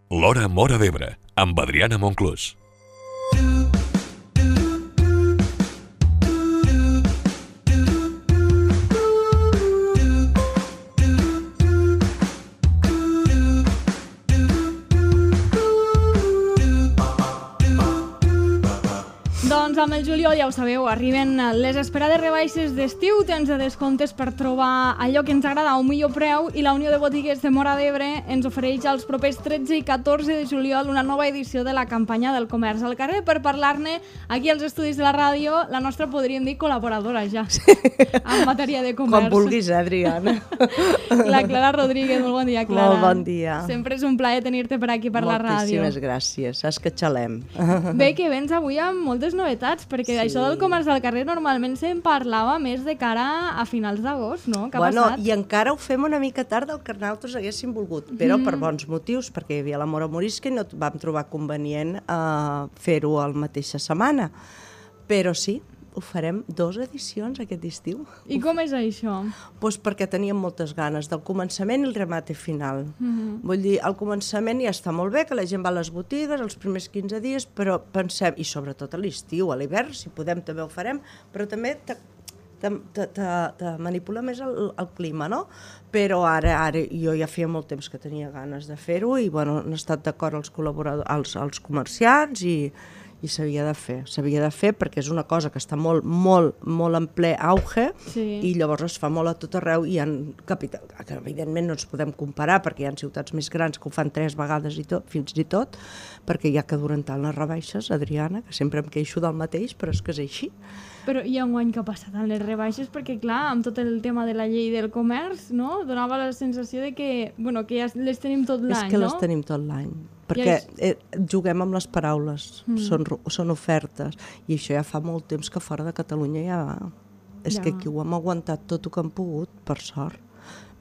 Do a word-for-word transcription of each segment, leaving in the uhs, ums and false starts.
L'Hora Móra d'Ebre, amb Adriana Monclús. Doncs amb el juliol, ja ho sabeu, arriben les esperades rebaixes d'estiu, temps de descomptes per trobar allò que ens agrada a un millor preu, i la Unió de Botiguers de Móra d'Ebre ens ofereix els propers tretze i catorze de juliol una nova edició de la campanya del comerç al carrer. Per parlar-ne aquí als estudis de la ràdio, la nostra, podríem dir, col·laboradora ja, en matèria de comerç. Com vulguis, eh, Adriana. La Clara Rodríguez, molt bon dia, Clara. Molt bon dia. Sempre és un plaer tenir-te per aquí per la ràdio. Moltíssimes gràcies, saps que xalem. Bé, que vens avui amb moltes novetats, perquè sí. Això del comerç al carrer normalment se'n parlava més de cara a finals d'agost, no? Què ha bueno, passat? I encara ho fem una mica tard del que nosaltres haguéssim volgut, però mm. per bons motius, perquè hi havia la Mora Morisca i no vam trobar convenient uh, fer-ho la mateixa setmana. Però sí, ho farem dues edicions aquest estiu. I com és això? Pues perquè teníem moltes ganes del començament i el remate final. Mm-hmm. Vull dir, al començament ja està molt bé, que la gent va a les botigues els primers quinze dies, però pensem, i sobretot a l'estiu, a l'hivern, si podem també ho farem, però també te, te, te, te, te manipula més el, el clima, no? Però ara, ara jo ja feia molt temps que tenia ganes de fer-ho i bueno, han estat d'acord els col·laboradors, els, els comerciants i i s'havia de fer, s'havia de fer perquè és una cosa que està molt, molt, molt en ple auge sí. I llavors es fa molt a tot arreu i hi ha capital, que evidentment no ens podem comparar perquè hi ha ciutats més grans que ho fan tres vegades i tot, fins i tot, perquè ja que duren tant les rebaixes, Adriana, que sempre em queixo del mateix, però és que és així. Però hi ha un any que ha passat en les rebaixes perquè, clar, amb tot el tema de la llei del comerç, no? Donava la sensació de que, bueno, que ja les tenim tot l'any, no? És que les tenim tot l'any. Perquè eh, juguem amb les paraules, mm. són, són ofertes, i això ja fa molt temps que fora de Catalunya ja va. És ja. Que aquí ho hem aguantat tot el que hem pogut, per sort,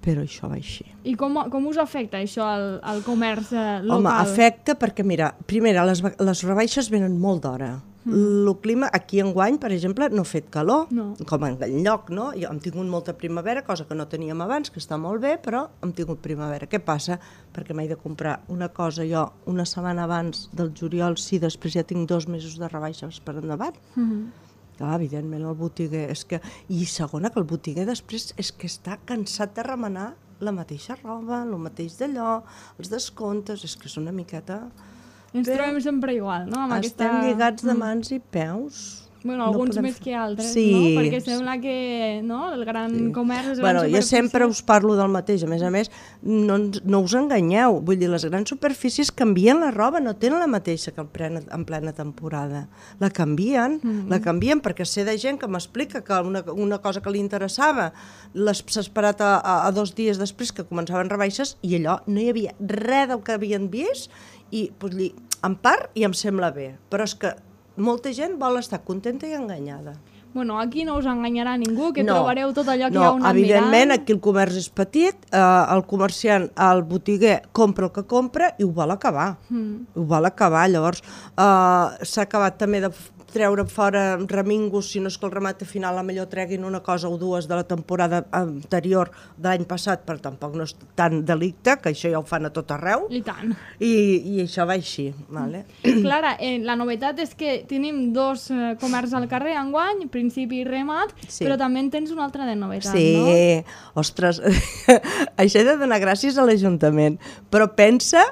però això va així. I com, com us afecta això al, al comerç eh, local? Home, afecta perquè, mira, primera, les, les rebaixes venen molt d'hora. Mm. El clima, aquí enguany, per exemple, no ha fet calor, no. Com en lloc, no? Jo hem tingut molta primavera, cosa que no teníem abans, que està molt bé, però hem tingut primavera. Què passa? Perquè m'he de comprar una cosa jo una setmana abans del juliol, sí, després ja tinc dos mesos de rebaixes per endavant. Mm-hmm. Clar, evidentment, el botiguer és que... I segona, que el botiguer després és que està cansat de remenar la mateixa roba, el mateix d'allò, els descomptes, és que és una miqueta... Ens Bé, trobem sempre igual, no? Amb estem aquesta... lligats de mans i peus. Bueno, alguns no més que altres, sí, no? Perquè sembla que no? El gran sí. comerç... Les bueno, grans jo sempre us parlo del mateix. A més a més, no, no us enganyeu. Vull dir, les grans superfícies canvien la roba, no tenen la mateixa que en plena, en plena temporada. La canvien, mm-hmm. la canvien perquè sé de gent que m'explica que una, una cosa que li interessava s'ha esperat a, a, a dos dies després que començaven rebaixes i allò no hi havia res del que havien vist i doncs, en part i em sembla bé, però és que molta gent vol estar contenta i enganyada. Bueno, aquí no us enganyarà ningú, que no, trobareu tot allò que no, hi ha un evidentment, mirant. Aquí el comerç és petit, eh, el comerciant, el botiguer compra el que compra i ho vol acabar. Mm. Ho vol acabar, llavors eh, s'ha acabat també de treure fora remingos, si no és que el remat final a millor treguin una cosa o dues de la temporada anterior de l'any passat, però tampoc no és tan delicte, que això ja ho fan a tot arreu. I tant. I, i això va així. Vale? Clara, eh, la novetat és que tenim dos eh, comerç al carrer enguany, principi i remat, sí. Però també en tens una altra de novetat, sí. No? Sí, ostres, això he de donar gràcies a l'Ajuntament, però pensa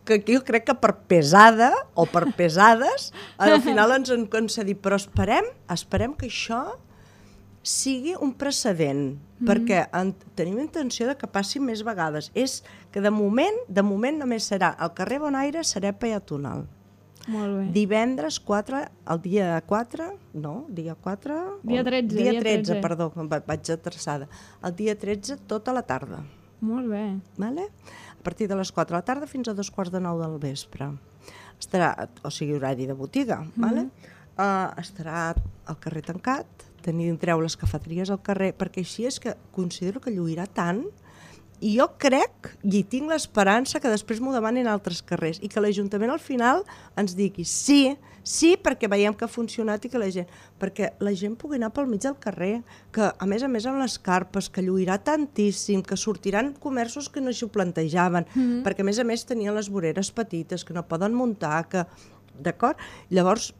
que jo crec que per pesada o per pesades al final ens han concedit, però esperem, esperem que això sigui un precedent, mm-hmm. perquè en, tenim intenció de que passi més vegades. És que de moment, de moment només serà el carrer Bonaire serà peatonal. Molt bé. Divendres quatre, el dia quatre, no, dia quatre... Dia tretze. Dia tretze, perdó, vaig atrasada. El dia tretze tota la tarda. Molt bé. Vale? A partir de les quatre de la tarda fins a dos quarts de nou del vespre. Estarà, o sigui, horari de botiga, mm-hmm. vale? uh, estarà al carrer tancat, tindreu les cafeteries al carrer, perquè així és que considero que lluirà tant I jo crec, i tinc l'esperança, que després m'ho demanin altres carrers i que l'Ajuntament al final ens digui sí, sí, perquè veiem que ha funcionat i que la gent... Perquè la gent pugui anar pel mig del carrer, que a més a més amb les carpes, que lluirà tantíssim, que sortiran comerços que no s'ho plantejaven, mm-hmm. perquè a més a més tenien les voreres petites, que no poden muntar, que... D'acord? Llavors,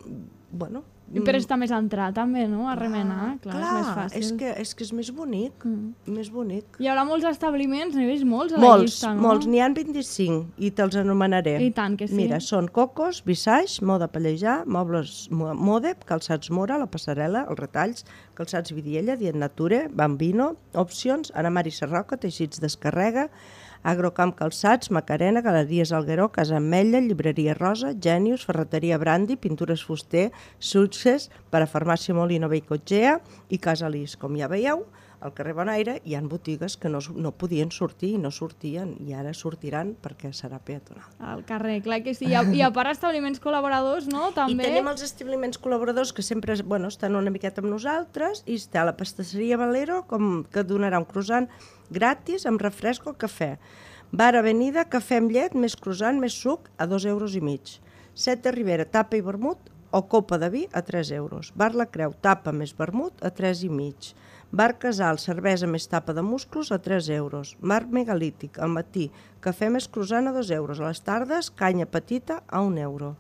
bueno... Però està més entrat també, no? A remenar, clar, clar, és més fàcil. És que, és que és més bonic, mm. més bonic. Hi haurà molts establiments, n'hi veus molts a molts, la llista, no? Molts, n'hi ha vint-i-cinc i te'ls anomenaré. I tant que sí. Mira, són Cocos, Visage, Moda Pallejà, Mobles Modep, Calçats Mora, La Passarel·la, Els Retalls, Calçats Vidiella, Dient Nature, Bambino, Opcions, Ana Mari Sarroca, Teixits Descarrega, Agrocamp Calçats, Macarena, Galeries Algueró, Casa Ametlla, Llibreria Rosa, Genius, Ferreteria Brandi, Pintures Fuster, Success, Parafarmàcia Molino Beicotgea i Casa Lis. Com ja veieu, al carrer Bonaire hi ha botigues que no, no podien sortir i no sortien i ara sortiran perquè serà peatonal. Al carrer, clar que sí. I a, i a part establiments col·laboradors, no? També... I tenim els establiments col·laboradors que sempre bueno, estan una miqueta amb nosaltres i està la pastisseria Valero, com que donarà un croissant gratis amb refresc o cafè. Bar Avenida, cafè amb llet, més croissant, més suc, a dos euros i mig. Seta Ribera, tapa i vermut o copa de vi a tres euros. Bar La Creu, tapa més vermut a tres i mig. Bar Casal, cervesa més tapa de musclos a tres euros. Bar Megalític, al matí, cafè més croissant a dos euros. A les tardes, canya petita a un euro.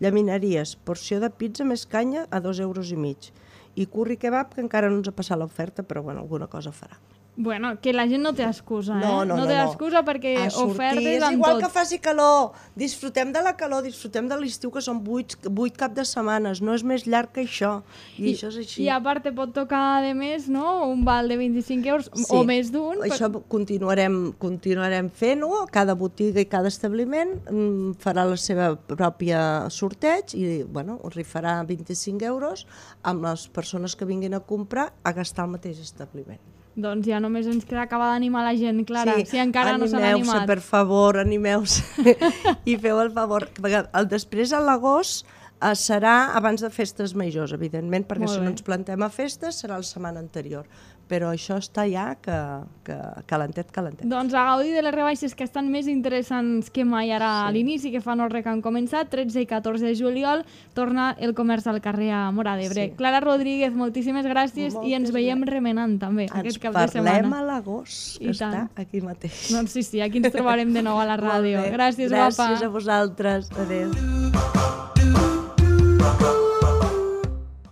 Llaminaries, porció de pizza més canya a dos euros i mig. I curri kebab, que encara no ens ha passat l'oferta, però bueno, alguna cosa farà. Bueno, que la gent no té excusa, eh? No, no, no. té no. excusa perquè a sortir, ofertes és amb igual tot. que faci calor. Disfrutem de la calor, disfrutem de l'estiu, que són vuit, vuit cap de setmanes. No és més llarg que això. I, I això és així. I a part te pot tocar, de més, no? Un val de vint-i-cinc euros sí, o més d'un. Això per... continuarem, continuarem fent-ho. Cada botiga i cada establiment mm, farà la seva pròpia sorteig i bueno, rifarà vint-i-cinc euros amb les persones que vinguin a comprar a gastar al mateix establiment. Doncs ja només ens queda acabar d'animar la gent, Clara, sí, si encara no s'han animat. Animeu-se, per favor, animeu-se i feu el favor. El després, a l'agost, eh, serà abans de festes majors, evidentment, perquè si no ens plantem a festes serà la setmana anterior. Però això està ja que, que calentet, calentet. Doncs a gaudir de les rebaixes que estan més interessants que mai ara sí. a l'inici, que fa no res que han començat, tretze i catorze de juliol, torna el comerç al carrer a Móra d'Ebre. Sí. Clara Rodríguez, moltíssimes gràcies Moltes i ens veiem gràcies. remenant també ens aquest cap de setmana. Ens parlem a l'agost, que està aquí mateix. Doncs sí, sí, aquí ens trobarem de nou a la ràdio. Gràcies, gràcies guapa. Gràcies a vosaltres. Adéu.